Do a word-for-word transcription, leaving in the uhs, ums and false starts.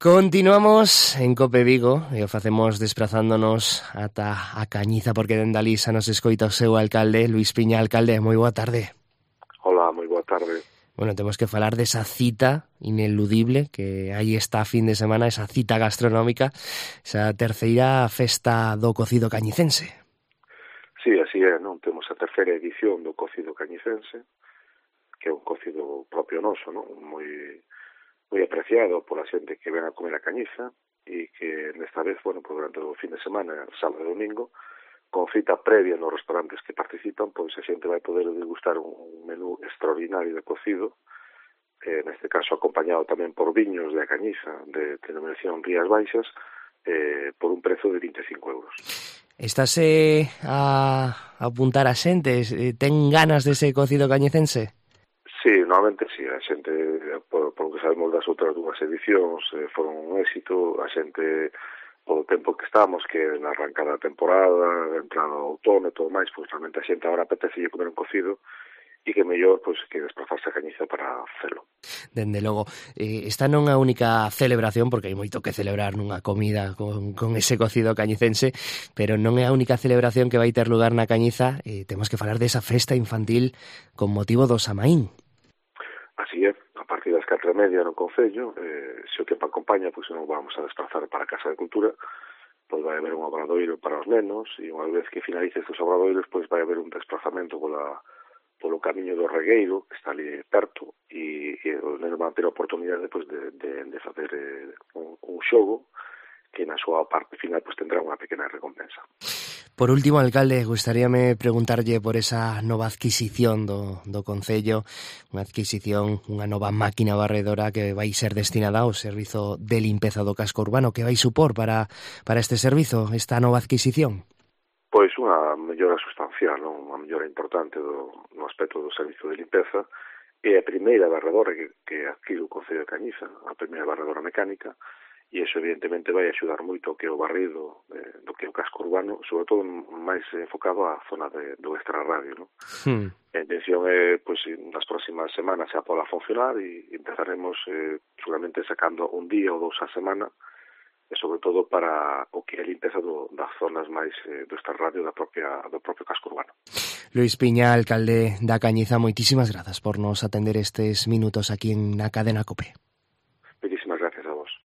Continuamos en Cope Vigo e o facemos desplazándonos ata a Cañiza porque dende alí xa nos escoita o seu alcalde, Luís Piña. Alcalde, moi boa tarde. Hola, moi boa tarde. Bueno, temos que falar desa cita ineludible que aí está a fin de semana, esa cita gastronómica, esa terceira festa do cocido cañicense. Sí, así é, non? Temos a terceira edición do cocido cañicense, que é un cocido propio noso, non? Moi moi apreciado pola xente que ven a comer a Cañiza e que nesta vez, bueno, pues durante o fin de semana, sábado e domingo, con cita previa nos restaurantes que participan, pois a xente vai poder degustar un menú extraordinario de cocido, eh, neste caso acompañado tamén por viños de a Cañiza, de denominación Rías Baixas, eh, por un prezo de vinte e cinco euros. Estase a apuntar a xente? Ten ganas dese cocido cañicense? Sí, normalmente sí, a xente, por, por lo que sabemos das outras dúas edicións, eh, foron un éxito, a xente, polo tempo que estamos, que na arrancada da temporada, entrada ao outono e todo máis, pois realmente a xente agora apetece comer un cocido, e que mellor pois, que desplazarse a Cañiza para facelo. Dende logo, eh, esta non é a única celebración, porque hai moito que celebrar nunha comida con, con ese cocido cañicense, pero non é a única celebración que vai ter lugar na Cañiza. Eh, temos que falar desa festa infantil con motivo do Samaín. Así é, a partir das catro e media no Concello, eh, se o tempo acompaña, pois non vamos a desplazar para a Casa de Cultura, pois vai haber un obradoiro para os nenos, e unha vez que finalice estes obradoiros, pois vai haber un desplazamento pola, polo camiño do Regueiro, que está ali perto, e, e os nenos van ter a oportunidade pois, de, de, de facer eh, un, un xogo, que na súa parte final pois, tendrá unha pequena recompensa. Por último, alcalde, gustaríame preguntarlle por esa nova adquisición do, do Concello, unha adquisición, unha nova máquina barredora que vai ser destinada ao servizo de limpeza do casco urbano. Que vai supor para, para este servizo, esta nova adquisición? Pois unha mellora sustancial, non? Unha mellora importante do, no aspecto do servizo de limpeza. É a primeira barredora que, que adquire o Concello de Cañiza, a primeira barredora mecánica, e iso evidentemente vai axudar moito ao que é o barrido eh, do que é o casco urbano, sobre todo máis enfocado á zona de, do extrarradio, non? Hmm. A intención é, pois, nas próximas semanas xa pola funcionar e empezaremos eh, seguramente sacando un día ou dous a semana, e sobre todo para o que é a limpeza do, das zonas máis eh, do extrarradio da propia, do propio casco urbano. Luís Piña, alcalde da Cañiza, moitísimas grazas por nos atender estes minutos aquí en na cadena COPE.